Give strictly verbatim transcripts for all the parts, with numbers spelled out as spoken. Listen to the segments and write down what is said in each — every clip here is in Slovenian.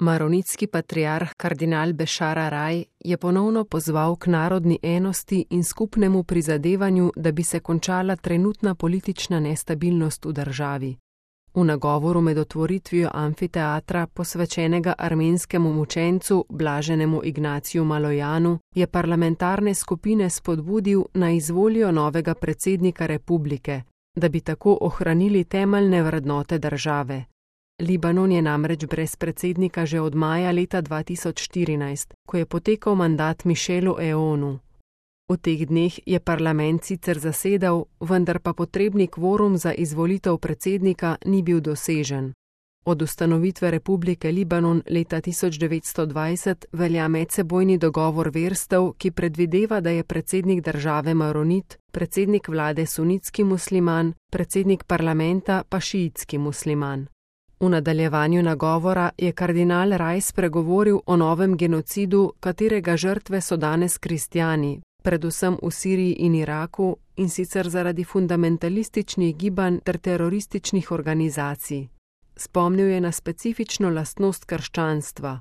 Maronitski patriarh kardinal Bešar Araj je ponovno pozval k narodni enosti in skupnemu prizadevanju, da bi se končala trenutna politična nestabilnost v državi. V nagovoru med otvoritvijo amfiteatra, posvečenega armenskemu mučencu Blaženemu Ignaciju Malojanu, je parlamentarne skupine spodbudil, naj izvolijo novega predsednika republike, da bi tako ohranili temeljne vrednote države. Libanon je namreč brez predsednika že od maja leta dva tisoč štirinajst, ko je potekal mandat Michelu Aounu. V teh dneh je parlament sicer zasedal, vendar pa potrebni kvorum za izvolitev predsednika ni bil dosežen. Od ustanovitve Republike Libanon leta tisoč devetsto dvajset velja medsebojni dogovor verstev, ki predvideva, da je predsednik države maronit, predsednik vlade sunitski musliman, predsednik parlamenta pa šiitski musliman. V nadaljevanju nagovora je kardinal Araj spregovoril o novem genocidu, katerega žrtve so danes kristjani, predvsem v Siriji in Iraku, in sicer zaradi fundamentalističnih gibanj ter terorističnih organizacij. Spomnil je na specifično lastnost krščanstva.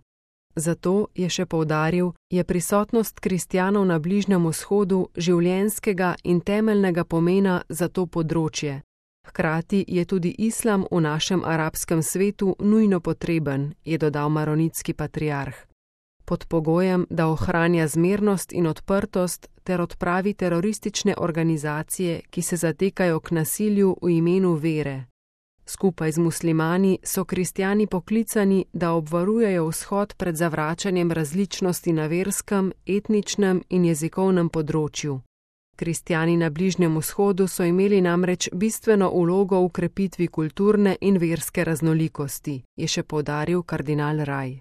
Zato, je še poudaril, je prisotnost kristjanov na Bližnjem vzhodu življenjskega in temeljnega pomena za to področje. Hkrati je tudi islam v našem arabskem svetu nujno potreben, je dodal maronitski patriarh. Pod pogojem, da ohranja zmernost in odprtost ter odpravi teroristične organizacije, ki se zatekajo k nasilju v imenu vere. Skupaj z muslimani so kristjani poklicani, da obvarujejo vzhod pred zavračanjem različnosti na verskem, etničnem in jezikovnem področju. Kristjani na Bližnjem vzhodu so imeli namreč bistveno vlogo v krepitvi kulturne in verske raznolikosti, je še poudaril kardinal Araj.